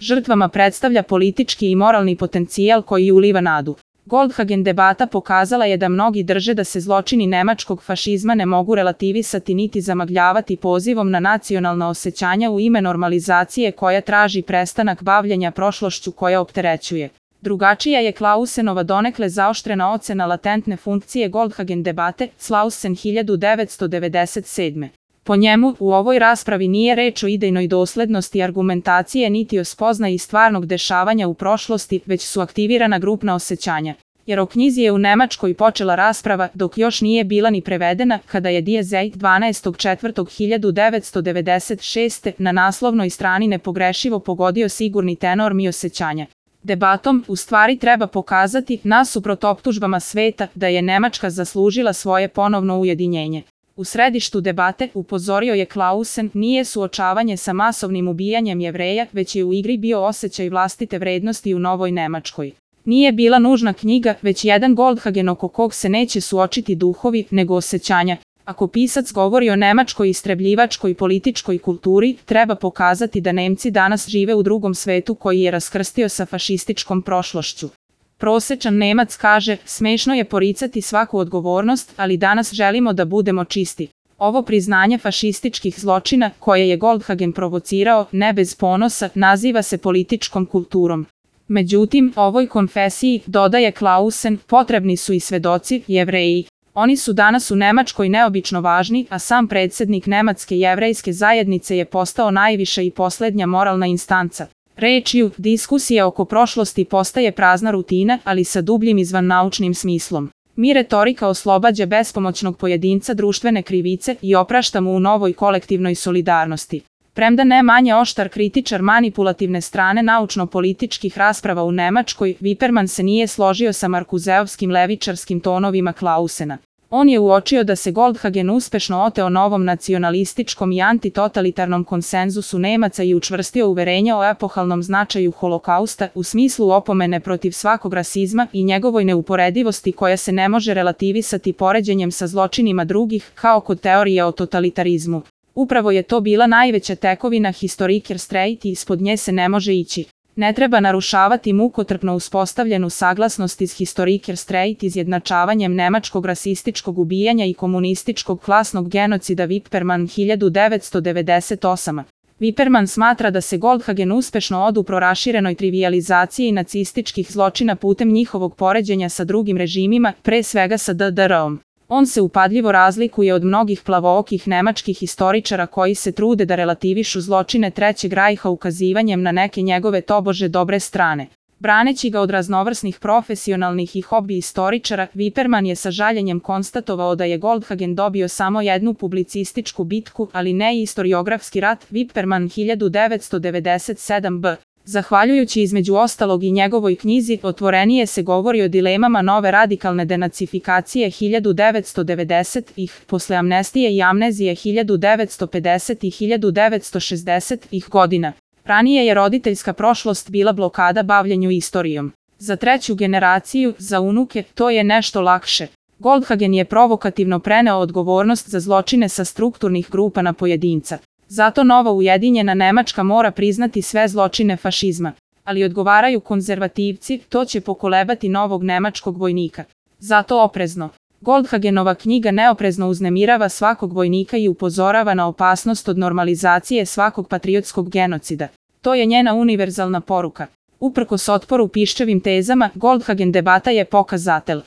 žrtvama predstavlja politički i moralni potencijal koji uliva nadu. Goldhagen debata pokazala je da mnogi drže da se zločini nemačkog fašizma ne mogu relativisati niti zamagljavati pozivom na nacionalna osjećanja u ime normalizacije koja traži prestanak bavljenja prošlošću koja opterećuje. Drugačija je Clausenova donekle zaoštrena ocena latentne funkcije Goldhagen debate, Clausen 1997. Po njemu, u ovoj raspravi nije reč o idejnoj doslednosti argumentacije niti o spoznaji stvarnog dešavanja u prošlosti, već su aktivirana grupna osjećanja. Jer o knjizi je u Nemačkoj počela rasprava, dok još nije bila ni prevedena, kada je Die Zeit 12.4.1996. na naslovnoj strani nepogrešivo pogodio sigurni tenor mi osjećanja. Debatom, u stvari treba pokazati, nasuprot optužbama sveta, da je Nemačka zaslužila svoje ponovno ujedinjenje. U središtu debate, upozorio je Clausen, nije suočavanje sa masovnim ubijanjem Jevreja, već je u igri bio osjećaj vlastite vrednosti u novoj Nemačkoj. Nije bila nužna knjiga, već jedan Goldhagen oko kog se neće suočiti duhovi, nego osjećanja. Ako pisac govori o nemačkoj istrebljivačkoj političkoj kulturi, treba pokazati da Nemci danas žive u drugom svetu koji je raskrstio sa fašističkom prošlošću. Prosječan Nemac kaže, smešno je poricati svaku odgovornost, ali danas želimo da budemo čisti. Ovo priznanje fašističkih zločina, koje je Goldhagen provocirao, ne bez ponosa, naziva se političkom kulturom. Međutim, ovoj konfesiji, dodaje Clausen, potrebni su i svedoci, Jevreji. Oni su danas u Nemačkoj neobično važni, a sam predsjednik Nemačke jevrejske zajednice je postao najviša i posljednja moralna instanca. Rečju, diskusija oko prošlosti postaje prazna rutina, ali sa dubljim izvannaučnim smislom. Mi retorika oslobađa bespomoćnog pojedinca društvene krivice i oprašta mu u novoj kolektivnoj solidarnosti. Premda ne manje oštar kritičar manipulativne strane naučno-političkih rasprava u Nemačkoj, Wiperman se nije složio sa markuzeovskim levičarskim tonovima Clausena. On je uočio da se Goldhagen uspešno oteo novom nacionalističkom i antitotalitarnom konsenzusu Nemaca i učvrstio uverenja o epohalnom značaju holokausta u smislu opomene protiv svakog rasizma i njegovoj neuporedivosti koja se ne može relativisati poređenjem sa zločinima drugih, kao kod teorije o totalitarizmu. Upravo je to bila najveća tekovina Historiker Streit i ispod nje se ne može ići. Ne treba narušavati mukotrpno uspostavljenu saglasnost iz Historiker Streit izjednačavanjem nemačkog rasističkog ubijanja i komunističkog klasnog genocida Wiperman 1998. Wiperman smatra da se Goldhagen uspešno odupro raširenoj trivijalizaciji nacističkih zločina putem njihovog poređenja sa drugim režimima, pre svega sa DDR-om. On se upadljivo razlikuje od mnogih plavookih nemačkih historičara koji se trude da relativišu zločine Trećeg rajha ukazivanjem na neke njegove tobože dobre strane. Braneći ga od raznovrsnih profesionalnih i hobi historičara, Wiperman je sa žaljenjem konstatovao da je Goldhagen dobio samo jednu publicističku bitku, ali ne i historiografski rat, Wiperman 1997b. Zahvaljujući između ostalog i njegovoj knjizi, otvorenije se govori o dilemama nove radikalne denacifikacije 1990-ih, posle amnestije i amnezije 1950 i 1960-ih godina. Ranije je roditeljska prošlost bila blokada bavljenju istorijom. Za treću generaciju, za unuke, to je nešto lakše. Goldhagen je provokativno preneo odgovornost za zločine sa strukturnih grupa na pojedinca. Zato nova ujedinjena Nemačka mora priznati sve zločine fašizma. Ali odgovaraju konzervativci, to će pokolebati novog nemačkog vojnika. Zato oprezno. Goldhagenova knjiga neoprezno uznemirava svakog vojnika i upozorava na opasnost od normalizacije svakog patriotskog genocida. To je njena univerzalna poruka. Uprkos otporu piščevim tezama, Goldhagen debata je pokazatelj